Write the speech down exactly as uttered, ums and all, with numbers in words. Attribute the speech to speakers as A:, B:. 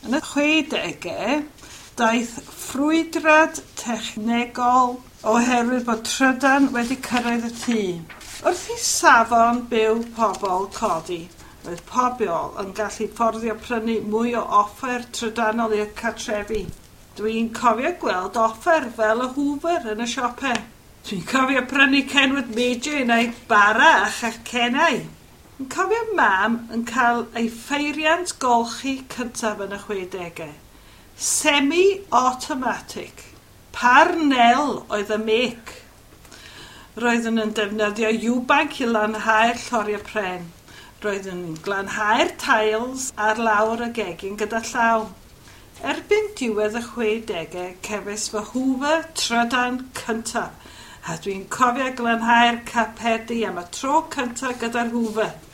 A: Yn y chwedegau, daeth ffrwydrad technegol oherwydd bod trydan wedi cyrraedd y tŷ. Wrth i safon byw pobl codi, roedd pobl yn gallu fforddio prynu mwy o offer trydanol i'r cartrefi. Dwi'n cofio gweld offer fel y Hoover yn y siopau. Dwi'n cofio prynu Kenwood Major i wneud bara a chacennau. Yn cofio mam yn cael ei pheiriant golchi cyntaf yn y chwedegau. Semi-automatic. Parnell oedd y make. Roeddwn yn defnyddio Ewbank i lanhau'r lloriau pren. Roeddwn yn glanhau'r tiles ar lawr y gegin gyda llaw. Erbyn diwedd y chwedegau, cefais fy Hoover trydan cyntaf, a dwi'n cofio glanhau'r carpedi am y tro cyntaf gyda'r Hoover.